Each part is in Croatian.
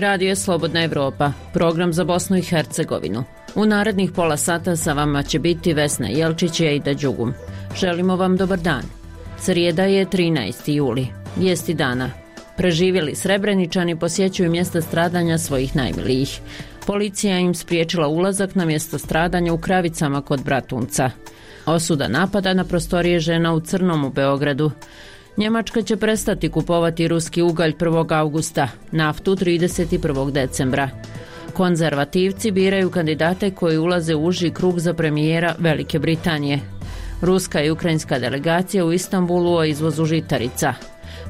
radio Slobodna Evropa, program za Bosnu i Hercegovinu. U narednih pola sata sa vama će biti Vesna Jelčić i Ejda Đugum. Želimo vam dobar dan. Srijeda je 13. juli. Vijesti dana. Preživjeli Srebreničani posjećuju mjesta stradanja svojih najmilijih. Policija im spriječila ulazak na mjesto stradanja u Kravicama kod Bratunca. Osuda napada na prostorije žena u Crnom u Beogradu. Njemačka će prestati kupovati ruski ugalj 1. augusta, naftu 31. decembra. Konzervativci biraju kandidate koji ulaze u uži krug za premijera Velike Britanije. Ruska i ukrajinska delegacija u Istanbulu o izvozu žitarica.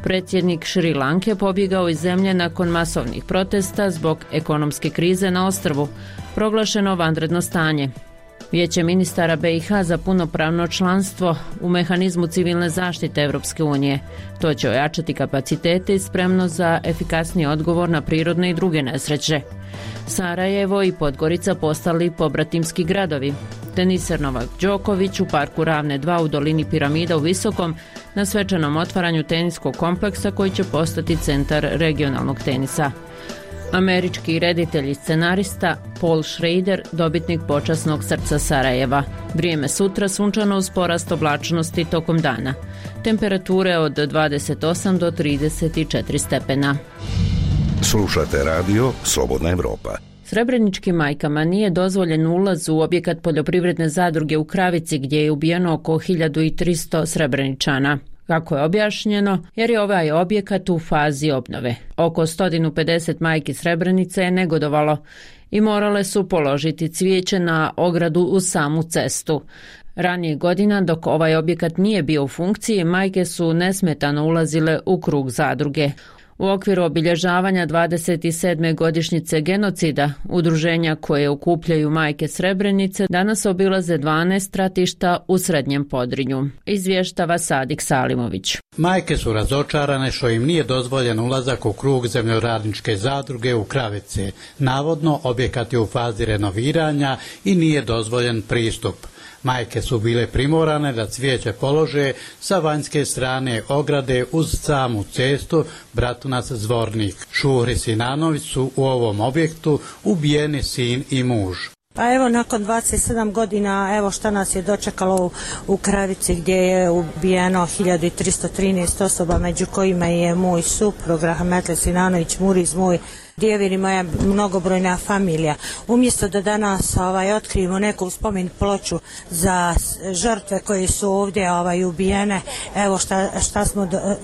Predsjednik Šri Lanke pobjegao iz zemlje nakon masovnih protesta zbog ekonomske krize na ostrvu. Proglašeno vanredno stanje. Vijeće ministara BiH za punopravno članstvo u mehanizmu civilne zaštite Europske unije. To će ojačati kapacitete i spremnost za efikasniji odgovor na prirodne i druge nesreće. Sarajevo i Podgorica postali pobratimski gradovi. Teniser Novak Đoković u parku Ravne 2 u dolini Piramida u Visokom na svečanom otvaranju teniskog kompleksa koji će postati centar regionalnog tenisa. Američki reditelj i scenarista Paul Schrader, dobitnik počasnog srca Sarajeva. Vrijeme sutra sunčano uz porast oblačnosti tokom dana. Temperature od 28 do 34 stepena. Slušate radio Slobodna Evropa. Srebreničkim majkama nije dozvoljen ulaz u objekat poljoprivredne zadruge u Kravici gdje je ubijeno oko 1300 Srebreničana. Kako je objašnjeno, jer je ovaj objekat u fazi obnove. Oko 150 majki Srebrenice je negodovalo i morale su položiti cvijeće na ogradu uz samu cestu. Ranije godina, dok ovaj objekat nije bio u funkciji, majke su nesmetano ulazile u krug zadruge. U okviru obilježavanja 27. godišnjice genocida, udruženja koje okupljaju majke Srebrenice danas obilaze 12 stratišta u Srednjem Podrinju, izvještava Sadik Salimović. Majke su razočarane što im nije dozvoljen ulazak u krug zemljoradničke zadruge u Kravice. Navodno, objekat je u fazi renoviranja i nije dozvoljen pristup. Majke su bile primorane da cvijeće polože sa vanjske strane ograde uz samu cestu Bratunac-Zvornik. Šuhri Sinanović su u ovom objektu ubijeni sin i muž. Pa evo, nakon 27 godina, evo šta nas je dočekalo u Kravici gdje je ubijeno 1313 osoba, među kojima je moj suprug Rahmetli Sinanović, Muriz, moj djevir i moja mnogobrojna familija. Umjesto da danas otkrijemo neku spomen ploču za žrtve koje su ovdje ubijene, evo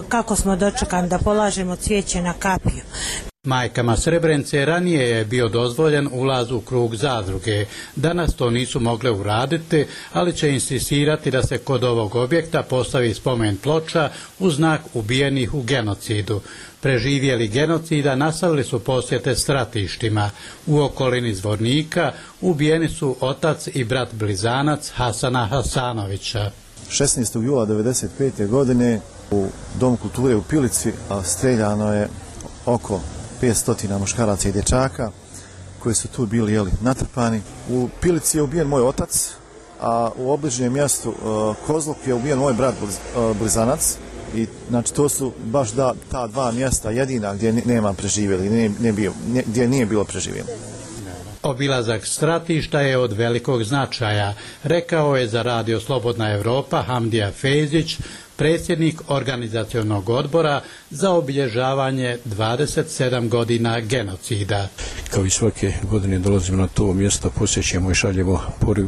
kako smo dočekani da polažemo cvijeće na kapiju. Majkama Srebrenice ranije je bio dozvoljen ulaz u krug zadruge. Danas to nisu mogle uraditi, ali će insistirati da se kod ovog objekta postavi spomen ploča u znak ubijenih u genocidu. Preživjeli genocida nastavili su posjete stratištima. U okolini Zvornika ubijeni su otac i brat blizanac Hasana Hasanovića. 16. jula 1995. godine u Domu kulture u Pilici streljano je oko 500 muškaraca i dječaka koji su tu bili natrpani. U Pilici je ubijen moj otac, a u obližnjem mjestu Kozluk je ubijen moj brat blizanac. I znači to su baš ta dva mjesta jedina gdje nema preživjeli, gdje nije bilo preživjeli. Obilazak stratišta je od velikog značaja, rekao je za radio Slobodna Evropa Hamdija Fejzić, predsjednik organizacionog odbora za obilježavanje 27 godina genocida. Kao i svake godine dolazimo na to mjesto, posjećujemo i šaljemo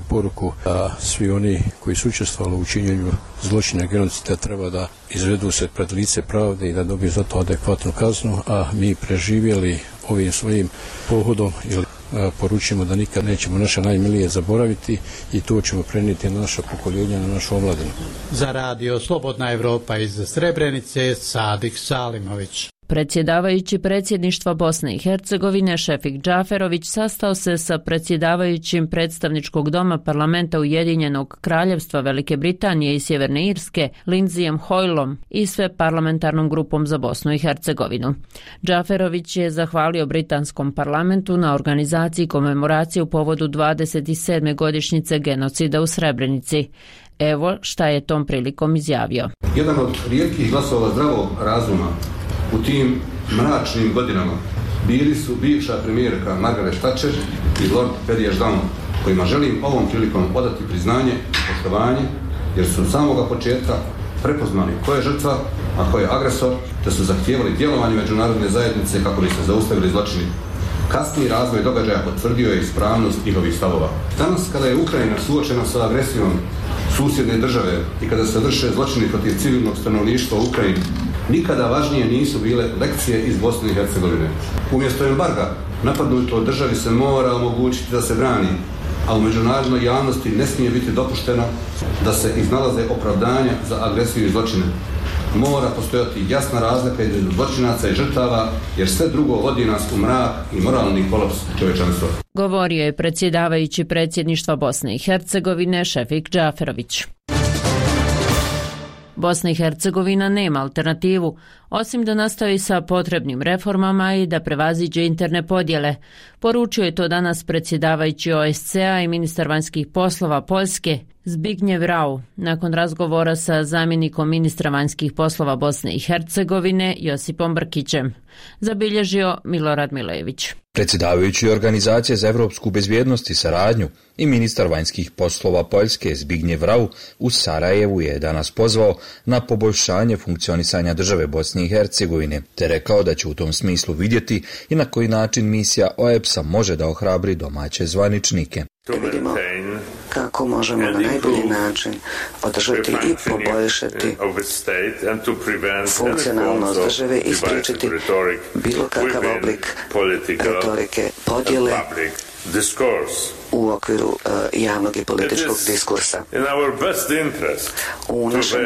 poruku da svi oni koji su učestvovali u činjenju zločina genocida treba da izvedu se pred lice pravde i da dobiju za to adekvatnu kaznu, a mi preživjeli ovim svojim pohodom ili poručimo da nikad nećemo naše najmilije zaboraviti i to ćemo prenijeti na naša pokoljenja, na našu omladinu. Za radio Slobodna Evropa iz Srebrenice, Sadik Salimović. Predsjedavajući predsjedništva Bosne i Hercegovine Šefik Džaferović sastao se sa predsjedavajućim predstavničkog doma parlamenta Ujedinjenog kraljevstva Velike Britanije i Sjeverne Irske Lindsayem Hoylom i sve parlamentarnom grupom za Bosnu i Hercegovinu. Džaferović je zahvalio britanskom parlamentu na organizaciji komemoracije u povodu 27. godišnjice genocida u Srebrenici. Evo šta je tom prilikom izjavio. Jedan od rijetkih glasova zdravog razuma u tim mračnim godinama bili su bivša premijerka Margaret Thatcher i Lord Perry-Ashdown, kojima želim ovom prilikom odati priznanje i poštovanje, jer su od samoga početka prepoznali ko je žrtva, a ko je agresor, te su zahtijevali djelovanje međunarodne zajednice kako bi se zaustavili zločini. Kasniji razvoj događaja potvrdio je ispravnost njihovih stavova. Danas, kada je Ukrajina suočena sa agresijom susjedne države i kada se vrše zločini protiv civilnog stanovništva u Ukrajini, nikada važnije nisu bile lekcije iz Bosne i Hercegovine. Umjesto embarga, napadnutoj državi se mora omogućiti da se brani, a u međunarodnoj javnosti ne smije biti dopušteno da se iznalaze opravdanja za agresiju i zločine. Mora postojati jasna razlika između zločinaca i žrtava, jer sve drugo vodi nas u mrak i moralni kolaps čovječanstva. Govorio je predsjedavajući predsjedništva Bosne i Hercegovine Šefik Džaferović. Bosna i Hercegovina nema alternativu, osim da nastavi sa potrebnim reformama i da prevaziđe interne podjele. Poručio je to danas predsjedavajući OSCE-a i ministar vanjskih poslova Poljske Zbigniew Rau nakon razgovora sa zamjenikom ministra vanjskih poslova Bosne i Hercegovine Josipom Brkićem, zabilježio Milorad Milojević. Predsjedavajući Organizacije za evropsku bezbjednost i saradnju i ministar vanjskih poslova Poljske Zbigniew Rau u Sarajevu je danas pozvao na poboljšanje funkcionisanja države Bosne i Hercegovine, te rekao da će u tom smislu vidjeti i na koji način misija OEBS-a može da ohrabri domaće zvaničnike. Vidimo kako možemo na najbolji način održati i poboljšati funkcionalnost države i spriječiti bilo kakav oblik retorike podjele u okviru javnog i političkog diskursa. U našem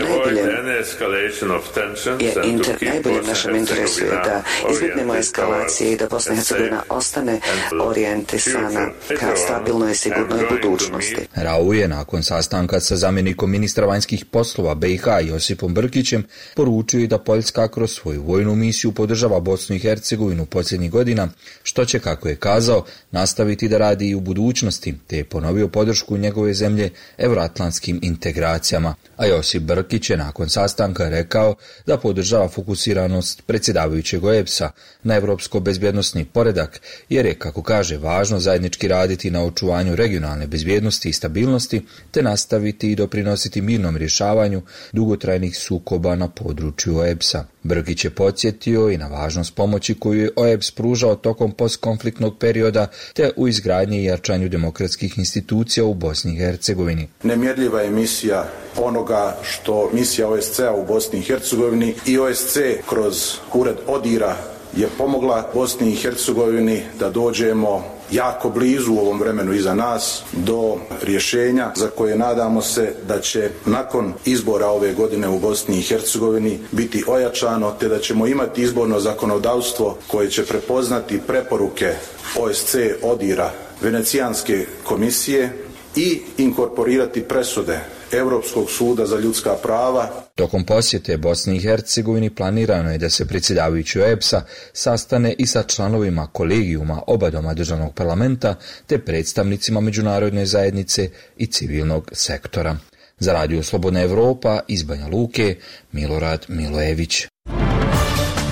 najboljem našem interesu je da izbjegnemo eskalacije i da Bosna i Hercegovina ostane orijentisana ka stabilnoj i sigurnoj budućnosti. Rau je nakon sastanka sa zamjenikom ministra vanjskih poslova BiH Josipom Brkićem poručio i da Poljska kroz svoju vojnu misiju podržava Bosnu i Hercegovinu posljednjih godina, što će, kako je kazao, nastaviti da radi i u budućnosti, te je ponovio podršku njegove zemlje evroatlantskim integracijama. A Josip Brkić je nakon sastanka rekao da podržava fokusiranost predsjedavajućeg OEBS-a na evropsko bezbjednosni poredak, jer je, kako kaže, važno zajednički raditi na očuvanju regionalne bezbjednosti i stabilnosti, te nastaviti i doprinositi mirnom rješavanju dugotrajnih sukoba na području OEBS-a. Brkić je podsjetio i na važnost pomoći koju je OEBS pružao tokom postkonfliktnog perioda, te u izgradnji i jačanju demokratskih institucija u Bosni i Hercegovini. Nemjerljiva je misija onoga što misija OSCE-a u Bosni i Hercegovini i OSCE kroz ured ODIHR-a je pomogla Bosni i Hercegovini da dođemo jako blizu u ovom vremenu iza nas do rješenja za koje nadamo se da će nakon izbora ove godine u Bosni i Hercegovini biti ojačano, te da ćemo imati izborno zakonodavstvo koje će prepoznati preporuke OSCE, ODIHR-a, Venecijanske komisije i inkorporirati presude Europskog suda za ljudska prava. Tokom posjete Bosni i Hercegovini planirano je da se predsjedavajući OEBS-a sastane i sa članovima kolegijuma oba doma državnog parlamenta te predstavnicima međunarodne zajednice i civilnog sektora. Za Radio Slobodna Evropa iz Banja Luke, Milorad Milojević.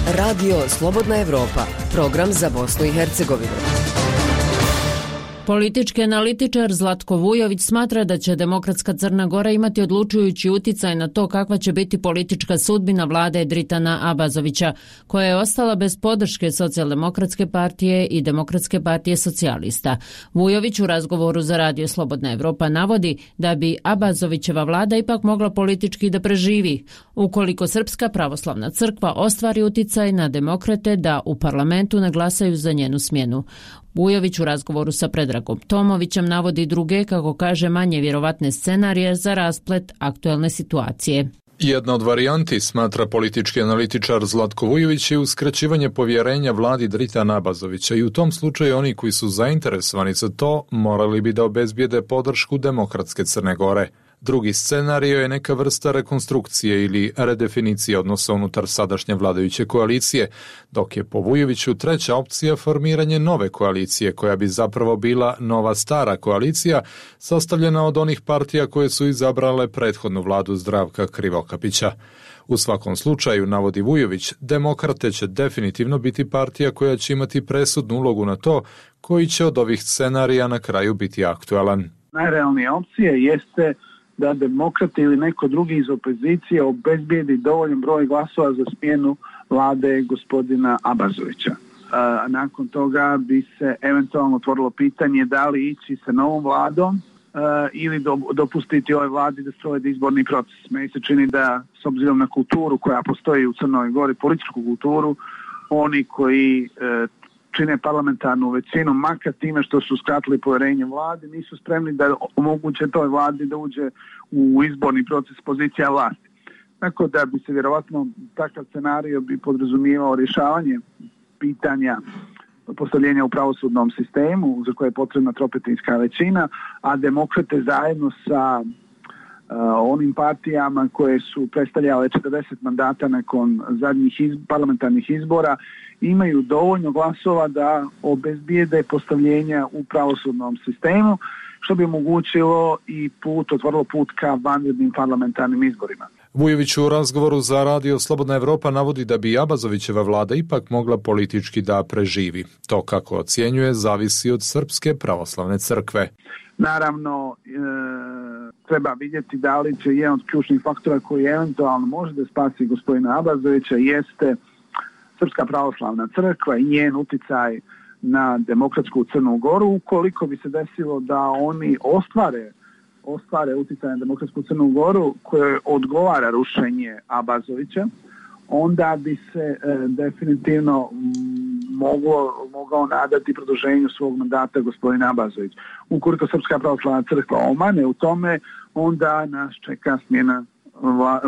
Radio Slobodna Evropa, program za Bosnu i Hercegovinu. Politički analitičar Zlatko Vujović smatra da će Demokratska Crna Gora imati odlučujući uticaj na to kakva će biti politička sudbina vlade Dritana Abazovića, koja je ostala bez podrške Socijaldemokratske partije i Demokratske partije socijalista. Vujović u razgovoru za Radio Slobodna Evropa navodi da bi Abazovićeva vlada ipak mogla politički da preživi, ukoliko Srpska pravoslavna crkva ostvari uticaj na demokrate da u parlamentu ne glasaju za njenu smjenu. Vujović u razgovoru sa Predragom Tomovićem navodi druge, kako kaže, manje vjerovatne scenarije za rasplet aktuelne situacije. Jedna od varijanti, smatra politički analitičar Zlatko Vujović, je uskraćivanje povjerenja vladi Dritana Abazovića i u tom slučaju oni koji su zainteresovani za to morali bi da obezbijede podršku Demokratske Crne Gore. Drugi scenario je neka vrsta rekonstrukcije ili redefinicije odnosa unutar sadašnje vladajuće koalicije, dok je po Vujoviću treća opcija formiranje nove koalicije, koja bi zapravo bila nova stara koalicija, sastavljena od onih partija koje su izabrale prethodnu vladu Zdravka Krivokapića. U svakom slučaju, navodi Vujović, demokrate će definitivno biti partija koja će imati presudnu ulogu na to koji će od ovih scenarija na kraju biti aktualan. Najrealnija opcija jeste da demokrate ili neko drugi iz opozicije obezbijedi dovoljan broj glasova za smjenu vlade gospodina Abazovića. Nakon toga bi se eventualno otvorilo pitanje da li ići sa novom vladom ili dopustiti ovoj vladi da sprovede izborni proces. Meni se čini da, s obzirom na kulturu koja postoji u Crnoj Gori, političku kulturu, oni koji čine parlamentarnu većinu, makar time što su skratili povjerenje vladi, nisu spremni da omoguće toj vladi da uđe u izborni proces pozicija vlasti. Tako da bi se vjerovatno takav scenario bi podrazumijevao rješavanje pitanja postavljenja u pravosudnom sistemu za koje je potrebna tropetinska većina, a demokrate zajedno sa onim partijama koje su predstavljale 40 mandata nakon zadnjih parlamentarnih izbora imaju dovoljno glasova da obezbijede postavljenja u pravosudnom sistemu, što bi omogućilo i otvorilo put ka vanrednim parlamentarnim izborima. Vujović u razgovoru za Radio Slobodna Evropa navodi da bi Abazovićeva vlada ipak mogla politički da preživi. To, kako ocjenjuje, zavisi od Srpske pravoslavne crkve. Naravno, treba vidjeti da li će jedan od ključnih faktora koji eventualno može da spasi gospodina Abazovića jeste Srpska pravoslavna crkva i njen uticaj na demokratsku Crnu Goru. Ukoliko bi se desilo da oni ostvare uticaj na demokratsku Crnu Goru koje odgovara rušenje Abazovića, onda bi se definitivno mogao nadati produženju svog mandata gospodina Abazović. Ukoliko Srpska pravoslavna crkva omane u tome, onda nas čeka smjena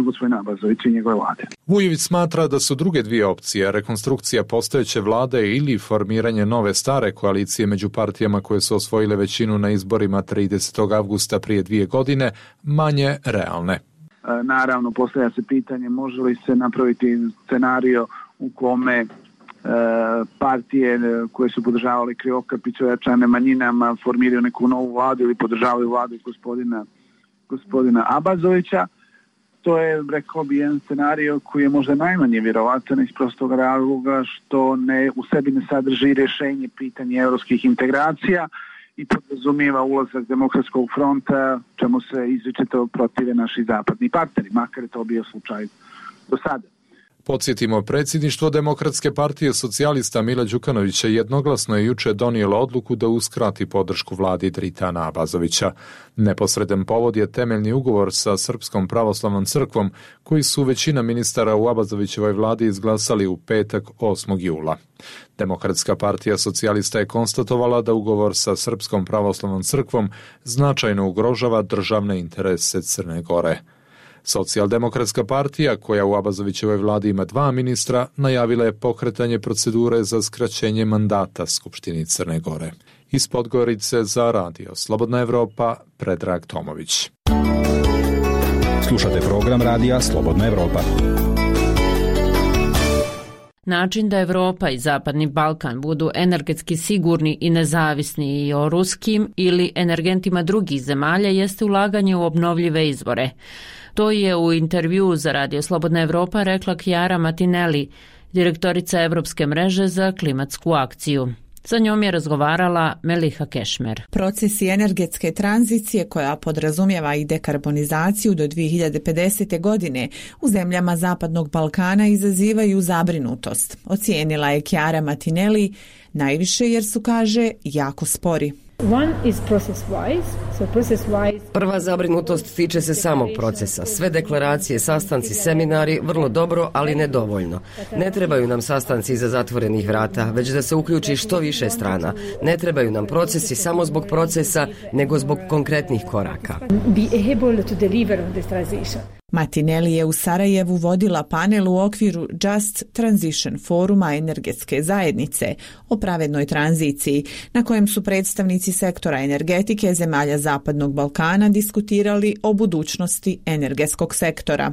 gospodina Abazovića i njegove vlade. Vujović smatra da su druge dvije opcije, rekonstrukcija postojeće vlade ili formiranje nove stare koalicije među partijama koje su osvojile većinu na izborima 30. avgusta prije 2 godine, manje realne. Naravno, postavlja se pitanje može li se napraviti scenario u kome partije koje su podržavali Krivokapića ojačane manjinama formiraju neku novu vladu ili podržavaju vladu gospodina Abazovića. To je, rekao bi, jedan scenario koji je možda najmanje vjerovatan iz prostog razloga što u sebi ne sadrži rješenje pitanja europskih integracija i podrazumijeva ulazak Demokratskog fronta, čemu se izričito protive naši zapadni partneri, makar je to bio slučaj do sada. Podsjetimo, predsjedništvo Demokratske partije socijalista Mila Đukanovića jednoglasno je juče donijelo odluku da uskrati podršku vladi Dritana Abazovića. Neposredan povod je temeljni ugovor sa Srpskom pravoslavnom crkvom, koji su većina ministara u Abazovićevoj vladi izglasali u petak 8. jula. Demokratska partija socijalista je konstatovala da ugovor sa Srpskom pravoslavnom crkvom značajno ugrožava državne interese Crne Gore. Socijaldemokratska partija, koja u Abazovićevoj vladi ima 2 ministra, najavila je pokretanje procedure za skraćenje mandata Skupštini Crne Gore. Iz Podgorice za Radio Slobodna Evropa, Predrag Tomović. Slušate program Radija Slobodna Evropa. Način da Evropa i Zapadni Balkan budu energetski sigurni i nezavisni i o ruskim ili energentima drugih zemalja jeste ulaganje u obnovljive izvore. To je u intervjuu za Radio Slobodna Evropa rekla Chiara Martinelli, direktorica Evropske mreže za klimatsku akciju. Sa njom je razgovarala Meliha Kešmer. Procesi energetske tranzicije koja podrazumijeva i dekarbonizaciju do 2050. godine u zemljama Zapadnog Balkana izazivaju zabrinutost. Ocijenila je Chiara Martinelli najviše jer su, kaže, jako spori. Prva zabrinutost tiče se samog procesa. Sve deklaracije, sastanci, seminari, vrlo dobro, ali nedovoljno. Ne trebaju nam sastanci iza zatvorenih vrata, već da se uključi što više strana. Ne trebaju nam procesi samo zbog procesa, nego zbog konkretnih koraka. Martinelli je u Sarajevu vodila panel u okviru Just Transition foruma energetske zajednice o pravednoj tranziciji, na kojem su predstavnici sektora energetike zemalja Zapadnog Balkana diskutirali o budućnosti energetskog sektora.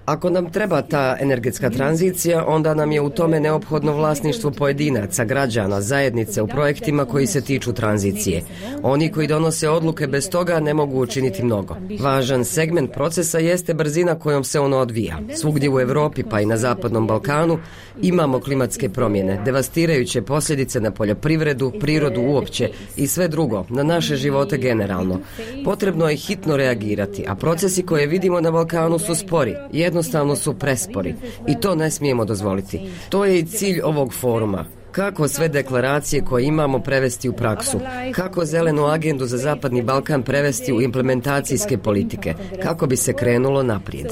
Ako nam treba ta energetska tranzicija, onda nam je u tome neophodno vlasništvo pojedinaca, građana, zajednice u projektima koji se tiču tranzicije. Oni koji donose odluke bez toga ne mogu učiniti mnogo. Važan segment procesa jeste brzina kojom se ono odvija. Svugdje u Europi pa i na Zapadnom Balkanu imamo klimatske promjene, devastirajuće posljedice na poljoprivredu, prirodu uopće i sve drugo, na naše živote generalno. Potrebno je hitno reagirati, a procesi koje vidimo na Balkanu su spori, jednostavno su prespori i to ne smijemo dozvoliti. To je i cilj ovog foruma. Kako sve deklaracije koje imamo prevesti u praksu? Kako zelenu agendu za Zapadni Balkan prevesti u implementacijske politike? Kako bi se krenulo naprijed?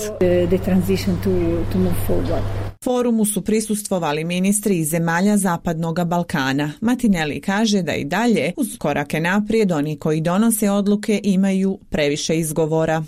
Forumu su prisustvovali ministri iz zemalja Zapadnog Balkana. Martinelli kaže da i dalje uz korake naprijed oni koji donose odluke imaju previše izgovora.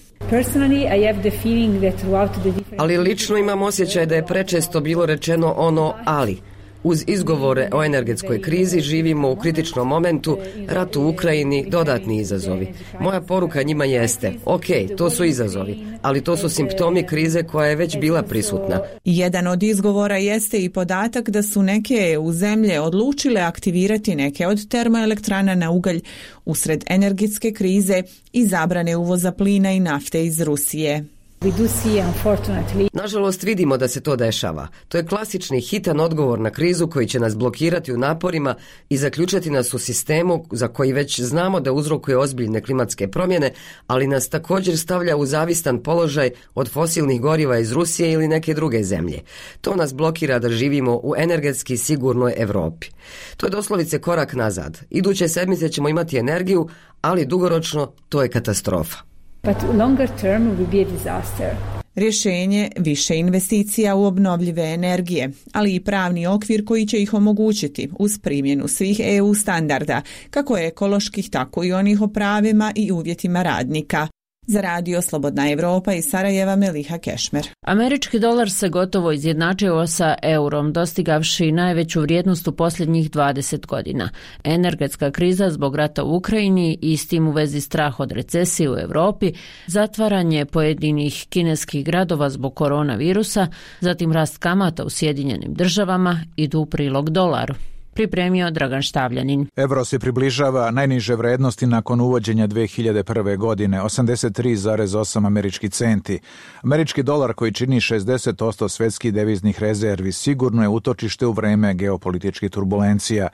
Ali lično imam osjećaj da je prečesto bilo rečeno ono ali. Uz izgovore o energetskoj krizi živimo u kritičnom momentu, rat u Ukrajini, dodatni izazovi. Moja poruka njima jeste, ok, to su izazovi, ali to su simptomi krize koja je već bila prisutna. Jedan od izgovora jeste i podatak da su neke EU zemlje odlučile aktivirati neke od termoelektrana na ugalj usred energetske krize i zabrane uvoza plina i nafte iz Rusije. Nažalost vidimo da se to dešava. To je klasični hitan odgovor na krizu koji će nas blokirati u naporima i zaključati nas u sistemu za koji već znamo da uzrokuje ozbiljne klimatske promjene, ali nas također stavlja u zavistan položaj od fosilnih goriva iz Rusije ili neke druge zemlje. To nas blokira da živimo u energetski sigurnoj Europi. To je doslovice korak nazad. Iduće sedmice ćemo imati energiju, ali dugoročno to je katastrofa. But longer term will be a disaster. Rješenje više investicija u obnovljive energije, ali i pravni okvir koji će ih omogućiti uz primjenu svih EU standarda, kako ekoloških, tako i onih o pravima i uvjetima radnika. Za radio Slobodna Evropa iz Sarajeva, Meliha Kešmer. Američki dolar se gotovo izjednačio sa eurom, dostigavši najveću vrijednost u posljednjih 20 godina. Energetska kriza zbog rata u Ukrajini i s tim u vezi strah od recesije u Europi, zatvaranje pojedinih kineskih gradova zbog koronavirusa, zatim rast kamata u Sjedinjenim Državama idu u prilog dolaru. Pripremio Dragan Štavljanin. Evro se približava najniže vrednosti nakon uvođenja 2001. godine, 83,8 američki centi. Američki dolar koji čini 60% svjetskih deviznih rezervi sigurno je utočište u vreme geopolitičkih turbulencija.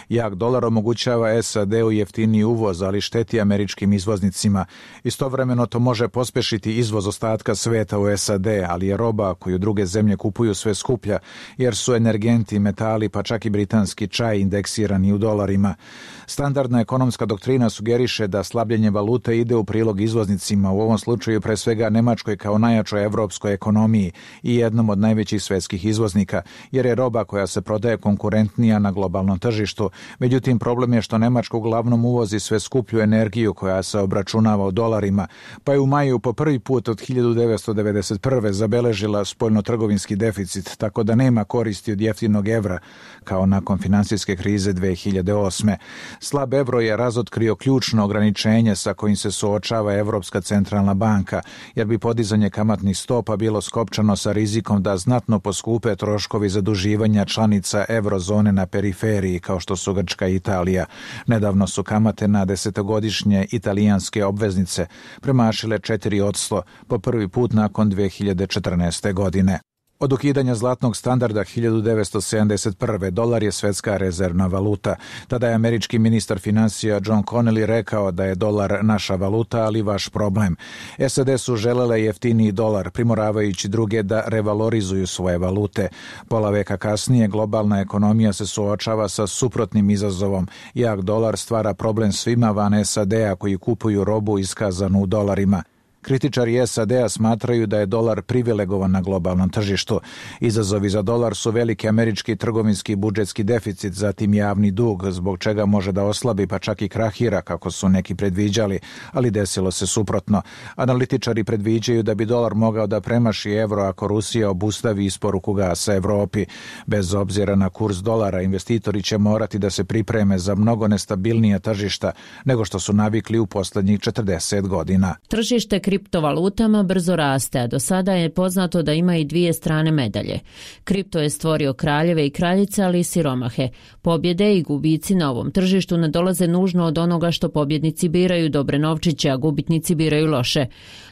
Jak dolar omogućava SAD-u jeftiniji uvoz, ali šteti američkim izvoznicima. Istovremeno to može pospešiti izvoz ostatka sveta u SAD, ali je roba koju druge zemlje kupuju sve skuplja, jer su energenti, metali pa čak i britanski čaj indeksirani u dolarima. Standardna ekonomska doktrina sugeriše da slabljenje valute ide u prilog izvoznicima, u ovom slučaju pre svega Nemačkoj kao najjačoj evropskoj ekonomiji i jednom od najvećih svjetskih izvoznika, jer je roba koja se prodaje konkurentnija na globalnom tržištu. Međutim, problem je što Nemačka uglavnom uvozi sve skuplju energiju koja se obračunava u dolarima, pa je u maju po prvi put od 1991. zabeležila spoljnotrgovinski deficit, tako da nema koristi od jeftinog evra, kao nakon financijske krize 2008. Slab evro je razotkrio ključno ograničenje sa kojim se suočava Evropska centralna banka, jer bi podizanje kamatnih stopa bilo skopčano sa rizikom da znatno poskupe troškovi zaduživanja članica eurozone na periferiji, kao što su Grčka i Italija. Nedavno su kamate na desetogodišnje italijanske obveznice premašile 4% po prvi put nakon 2014. godine. Od ukidanja zlatnog standarda 1971. dolar je svjetska rezervna valuta. Tada je američki ministar financija John Connally rekao da je dolar naša valuta, ali vaš problem. SAD su želele jeftiniji dolar, primoravajući druge da revalorizuju svoje valute. Pola veka kasnije globalna ekonomija se suočava sa suprotnim izazovom. Jak dolar stvara problem svima van SAD-a koji kupuju robu iskazanu u dolarima. Kritičari SAD-a smatraju da je dolar privilegovan na globalnom tržištu. Izazovi za dolar su veliki američki trgovinski i budžetski deficit, zatim javni dug, zbog čega može da oslabi pa čak i krahira, kako su neki predviđali, ali desilo se suprotno. Analitičari predviđaju da bi dolar mogao da premaši evro ako Rusija obustavi isporuku gasa Evropi. Bez obzira na kurs dolara, investitori će morati da se pripreme za mnogo nestabilnija tržišta nego što su navikli u poslednjih 40 godina. Tržište kriptovalutama brzo raste, a do sada je poznato da ima i dvije strane medalje. Kripto je stvorio kraljeve i kraljice, ali i siromahe. Pobjede i gubici na ovom tržištu ne dolaze nužno od onoga što pobjednici biraju dobre novčiće, a gubitnici biraju loše.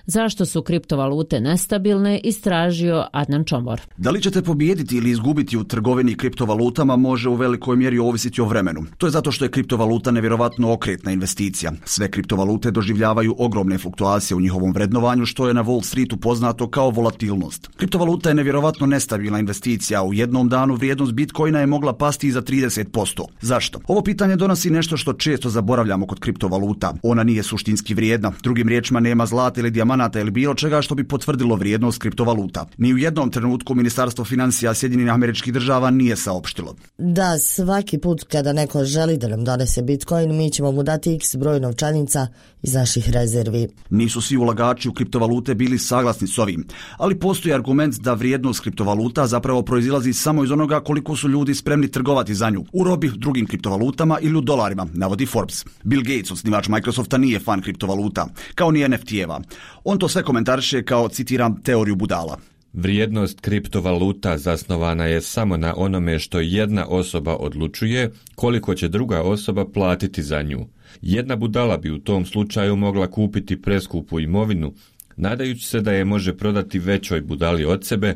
Zašto su kriptovalute nestabilne, istražio Adnan Čomor. Da li ćete pobijediti ili izgubiti u trgovini kriptovalutama može u velikoj mjeri ovisiti o vremenu. To je zato što je kriptovaluta nevjerovatno okretna investicija. Sve kriptovalute doživljavaju ogromne fluktuacije u njihovom vrednovanju, što je na Wall Streetu poznato kao volatilnost. Kriptovaluta je nevjerovatno nestabilna investicija. U jednom danu vrijednost Bitcoina je mogla pasti i za 30%. Zašto? Ovo pitanje donosi nešto što često zaboravljamo kod kriptovaluta. Ona nije suštinski vrijedna. Drugim riječima, nema zlata ili dijamanata ili bilo čega što bi potvrdilo vrijednost kriptovaluta. Ni u jednom trenutku Ministarstvo financija Sjedinjenih Američkih Država nije saopštilo. Da, svaki put kada neko želi da nam donese Bitcoin, mi ćemo mu dati x broj novčanica iz naših rezervi. Nisu svi ulagači u kriptovalute bili saglasni s ovim, ali postoji argument da vrijednost kriptovaluta zapravo proizilazi samo iz onoga koliko su ljudi spremni trgovati za nju, u robi, drugim kriptovalutama ili u dolarima, navodi Forbes. Bill Gates, osnivač Microsofta, nije fan kriptovaluta, kao ni NFT-eva. On to sve komentariše kao, citiram, teoriju budala. Vrijednost kriptovaluta zasnovana je samo na onome što jedna osoba odlučuje koliko će druga osoba platiti za nju. Jedna budala bi u tom slučaju mogla kupiti preskupu imovinu, nadajući se da je može prodati većoj budali od sebe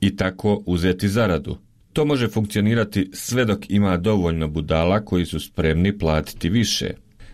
i tako uzeti zaradu. To može funkcionirati sve dok ima dovoljno budala koji su spremni platiti više.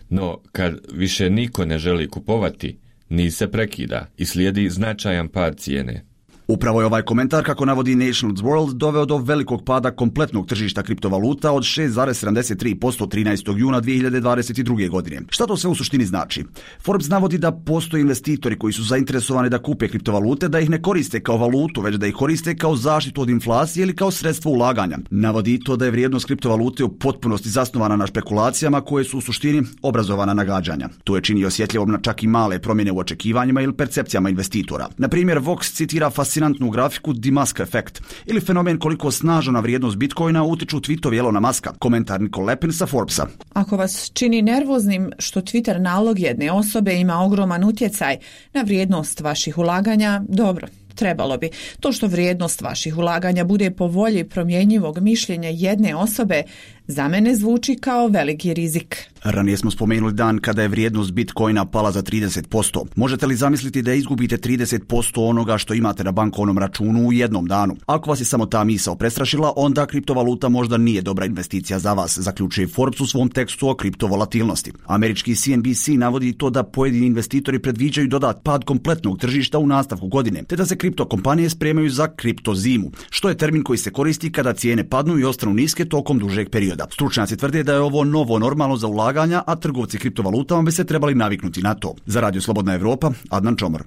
No, kad više niko ne želi kupovati, niz se prekida i slijedi značajan pad cijene. Upravo je ovaj komentar, kako navodi Nationals World, doveo do velikog pada kompletnog tržišta kriptovaluta od 6,73% 13. juna 2022. godine. Šta to sve u suštini znači? Forbes navodi da postoje investitori koji su zainteresovani da kupe kriptovalute, da ih ne koriste kao valutu, već da ih koriste kao zaštitu od inflacije ili kao sredstvo ulaganja. Navodi to da je vrijednost kriptovalute u potpunosti zasnovana na špekulacijama koje su u suštini obrazovana nagađanja. To je čini osjetljivom na čak i male promjene u očekivanjima ili percepcijama investitora. Na primjer, Vox citira fascinantnu grafiku The Musk Effect ili fenomen koliko snažno na vrijednost Bitcoina utiču tweetovi Elona Muska. Komentar Nicole Lepin sa Forbesa. Ako vas čini nervoznim što Twitter nalog jedne osobe ima ogroman utjecaj na vrijednost vaših ulaganja, dobro, trebalo bi. To što vrijednost vaših ulaganja bude po volji promjenjivog mišljenja jedne osobe, za mene zvuči kao veliki rizik. Ranije smo spomenuli dan kada je vrijednost Bitcoina pala za 30%. Možete li zamisliti da izgubite 30% onoga što imate na bankovnom računu u jednom danu? Ako vas je samo ta misao prestrašila, onda kriptovaluta možda nije dobra investicija za vas, zaključuje Forbes u svom tekstu o kriptovolatilnosti. Američki CNBC navodi to da pojedini investitori predviđaju dodat pad kompletnog tržišta u nastavku godine, te da se kriptokompanije spremaju za kriptozimu, što je termin koji se koristi kada cijene padnu i ostanu niske tokom dužeg perioda. Stručnjaci tvrde da je ovo novo normalno za ulaganja, a trgovci kriptovalutama bi se trebali naviknuti na to. Za Radio Slobodna Evropa, Adnan Čomor.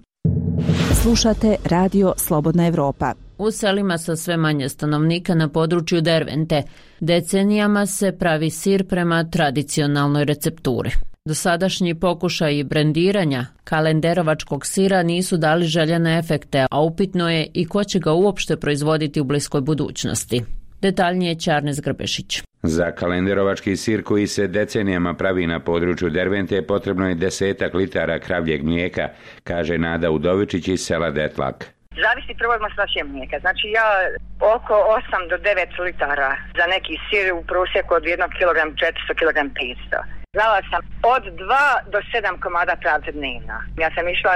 Slušate Radio Slobodna Evropa. U selima sa sve manje stanovnika na području Dervente decenijama se pravi sir prema tradicionalnoj recepturi. Dosadašnji pokušaji brendiranja kalenderovačkog sira nisu dali željene efekte, a upitno je i ko će ga uopšte proizvoditi u bliskoj budućnosti. Detaljnije Čarnes Grbešić. Za kalenderovački sir koji se decenijama pravi na području Dervente potrebno je 10 litara kravljeg mlijeka, kaže Nada Udovičić iz sela Detlak. Zavisi prvo od masnoće mlijeka. Znači ja oko 8 do 9 litara za neki sir u prosjeku od 1 kg 400 kg 500. Znala sam od 2 do 7 komada pravca dnevno. Ja sam išla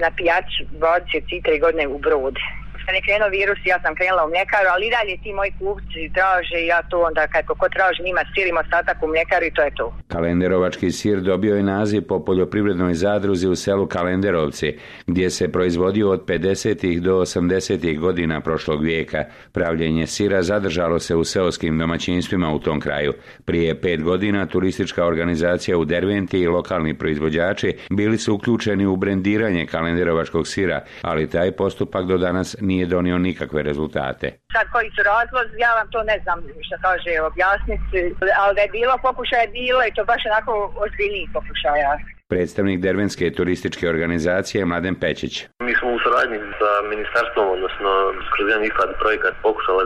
na pijač 23 godine u Brod. kad je krenuo virus, ja sam krenula u mljekaru, ali i dalje ti moji kupci traže i ja to onda kako ko traži njima sirimo ostatak u mljekaru i to je to. Kalenderovački sir dobio je naziv po poljoprivrednoj zadruzi u selu Kalenderovci, gdje se proizvodio od 50. do 80. godina prošlog vijeka. Pravljenje sira zadržalo se u seoskim domaćinstvima u tom kraju. Prije 5 godina turistička organizacija u Derventi i lokalni proizvođači bili su uključeni u brendiranje kalenderovačkog sira, ali taj postupak do danas nije donio nikakve rezultate. Sad koji su razlozi, ja vam to ne znam što kaže objasniti, ali da je bilo pokušaja, bilo i to baš onako ozbiljnijih pokušaja. Predstavnik Dervenske turističke organizacije Mladen Pečić. Mi smo u saradnji sa ministarstvom, odnosno kroz jedan IFAD projekat pokušali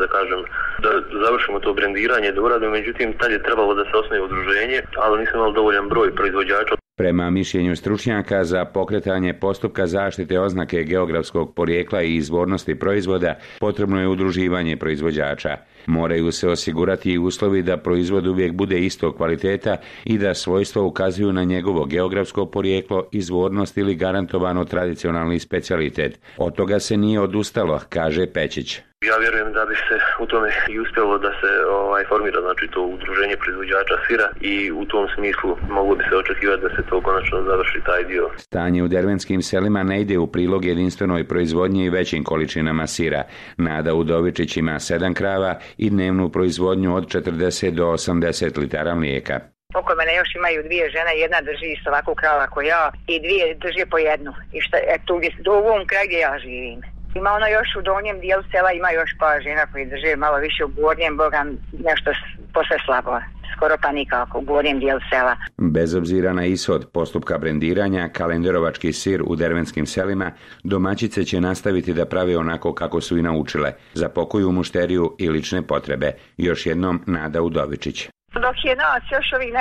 da završimo to brendiranje, da uradimo, međutim tad je trebalo da se osnuje udruženje, ali nismo imali dovoljan broj proizvođača. Prema mišljenju stručnjaka, za pokretanje postupka zaštite oznake geografskog porijekla i izvornosti proizvoda potrebno je udruživanje proizvođača. Moraju se osigurati i uslovi da proizvod uvijek bude istog kvaliteta i da svojstva ukazuju na njegovo geografsko porijeklo, izvornost ili garantovano tradicionalni specijalitet. Od toga se nije odustalo, kaže Pečić. Ja vjerujem da bi se u tome i uspjelo da se formira to udruženje proizvođača sira i u tom smislu moglo bi se očekivati da se to konačno završi taj dio. Stanje u dervenskim selima ne ide u prilog jedinstvenoj proizvodnji i većim količinama sira. Nada Udovičić ima 7 krava i dnevnu proizvodnju od 40 do 80 litara mlijeka. Oko mene još imaju 2 žene, jedna drži isto ovakvu krava kao ja i 2 drže po jednu. I tu u ovom kraju gdje ja živim. Ima ono još u donjem dijelu sela, ima još par žena koji drže malo više u gornjem, boga nešto posve slabo, skoro pa nikako u gornjem dijelu sela. Bez obzira na ishod postupka brendiranja, kalenderovački sir u dervenskim selima, domaćice će nastaviti da prave onako kako su i naučile, za pokoju mušteriju i lične potrebe. Još jednom Nada Udovičić. Dok je nas još ovih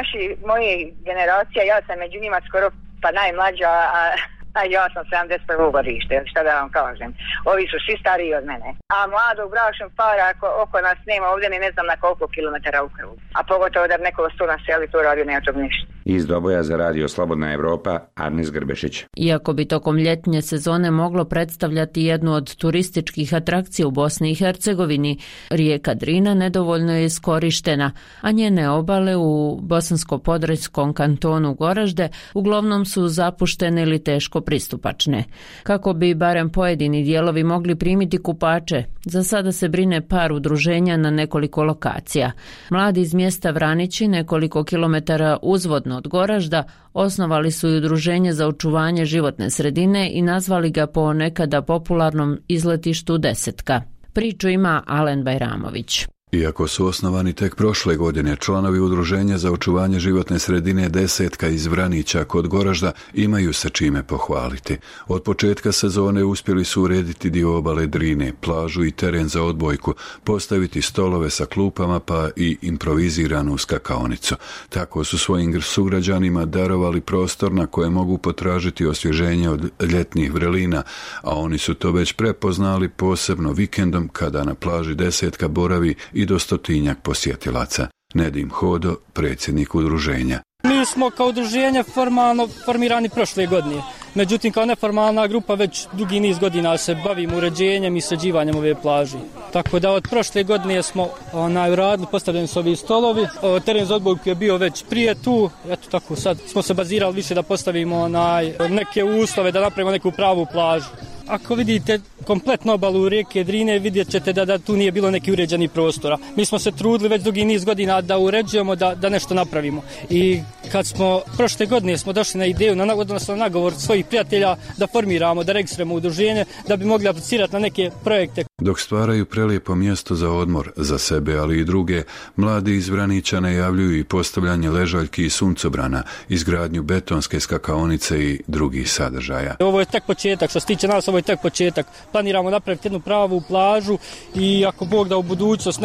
moje generacija, ja sam među njima skoro pa najmlađa, a ja sam 71. godište, šta da vam kažem. Ovi su svi stariji od mene. A mladog bračnog para oko nas nema ovdje ne znam na koliko kilometara u krug. A pogotovo da bi neko sto na seli to radio, nema tog ništa. Iz Doboja za radio Slobodna Evropa, Arnis Grbešić. Iako bi tokom ljetnje sezone moglo predstavljati jednu od turističkih atrakcija u Bosni i Hercegovini, rijeka Drina nedovoljno je iskorištena, a njene obale u bosansko-podravskom kantonu Goražde uglavnom su zapuštene ili teško pristupačne. Kako bi barem pojedini dijelovi mogli primiti kupače, za sada se brine par udruženja na nekoliko lokacija. Mladi iz mjesta Vranići, nekoliko kilometara uzvodno od Goražda, osnovali su i udruženje za očuvanje životne sredine i nazvali ga po nekada popularnom izletištu Desetka. Priču ima Alen Bajramović. Iako su osnovani tek prošle godine, članovi udruženja za očuvanje životne sredine Desetka iz Vranića kod Goražda imaju se čime pohvaliti. Od početka sezone uspjeli su urediti dio obale Drine, plažu i teren za odbojku, postaviti stolove sa klupama pa i improviziranu skakaonicu. Tako su svojim sugrađanima darovali prostor na koje mogu potražiti osvježenje od ljetnih vrelina, a oni su to već prepoznali posebno vikendom kada na plaži Desetka boravi i do 100-tinjak posjetilaca. Nedim Hodo, predsjednik udruženja. Mi smo kao udruženje formalno formirani prošle godine. Međutim, kao neformalna grupa već dugi niz godina se bavimo uređenjem i sređivanjem ove plaže. Tako da od prošle godine smo uradili, postavljeni su ovi stolovi. Teren za odbojku je bio već prije tu. Eto tako, sad smo se bazirali više da postavimo neke uslove, da napravimo neku pravu plažu. Ako vidite kompletnu obalu rijeke Drine, vidjet ćete da tu nije bilo neki uređeni prostora. Mi smo se trudili već dugi niz godina da uređujemo, da nešto napravimo. I kad smo prošle godine smo došli na ideju, odnosno na nagovor svojih prijatelja da formiramo, da registrujemo udruženje, da bi mogli aplicirati na neke projekte. Dok stvaraju prelijepo mjesto za odmor, za sebe, ali i druge, mladi iz Vranića najavljuju i postavljanje ležaljki i suncobrana, izgradnju betonske skakaonice i drugih sadržaja. Ovo je tek početak, što se tiče nas, ovo je tek početak. Planiramo napraviti jednu pravu plažu i ako Bog da u budućnost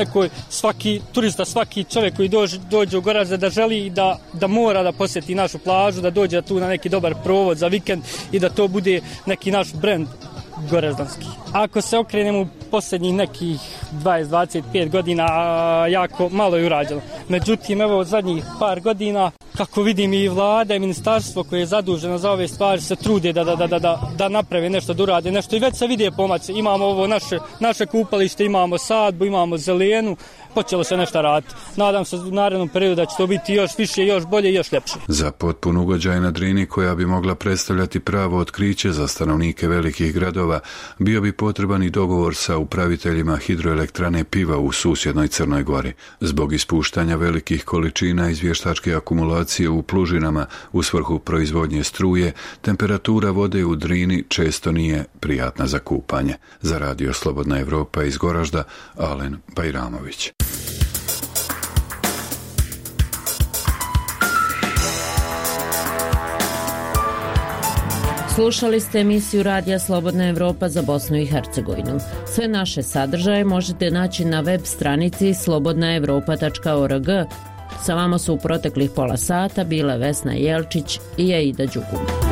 svaki turista, svaki čovjek koji dođe u Goražde da želi da mora da posjeti našu plažu, da dođe tu na neki dobar provod za vikend i da to bude neki naš brend goraždanski. Ako se okrenemo u posljednjih nekih 20-25 godina, jako malo je urađeno. Međutim, evo zadnjih par godina, kako vidim i vlada i ministarstvo koje je zaduženo za ove stvari se trude da naprave nešto, da urade nešto i već se vide pomaci. Imamo ovo naše kupalište, imamo sadbu, imamo zelenu, počelo se nešto raditi. Nadam se u narednom periodu da će to biti još više, još bolje i još ljepše. Za potpun ugođaj na Drini, koja bi mogla predstavljati pravo otkriće za stanovnike velikih gradova, bio bi potreban i dogovor sa upraviteljima hidroelektrane Piva u susjednoj Crnoj Gori. Zbog ispuštanja velikih količina izvještačke akumulacije u plužinama u svrhu proizvodnje struje, temperatura vode u Drini često nije prijatna za kupanje. Za Radio Slobodna Evropa iz Goražda, Alen Bajramović. Slušali ste emisiju Radija Slobodna Evropa za Bosnu i Hercegovinu. Sve naše sadržaje možete naći na web stranici slobodnaevropa.org. Sa vama su u proteklih pola sata bile Vesna Jelčić i Aida Đugum.